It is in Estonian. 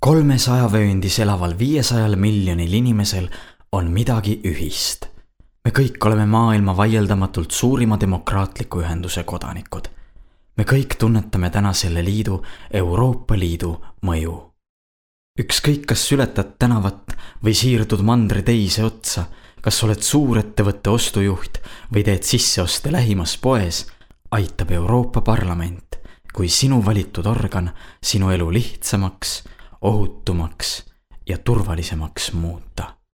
300 vööndis elaval 500 miljonil inimesel on midagi ühist. Me kõik oleme maailma vaieldamatult suurima demokraatliku ühenduse kodanikud. Me kõik tunnetame täna selle liidu, Euroopa Liidu mõju. Ükskõik, kas ületad tänavat või siirdud mandri teise otsa, kas oled suurettevõtte ostujuht või teed sisseoste lähimas poes, aitab Euroopa Parlament kui sinu valitud organ sinu elu lihtsamaks, ohutumaks ja turvalisemaks muuta.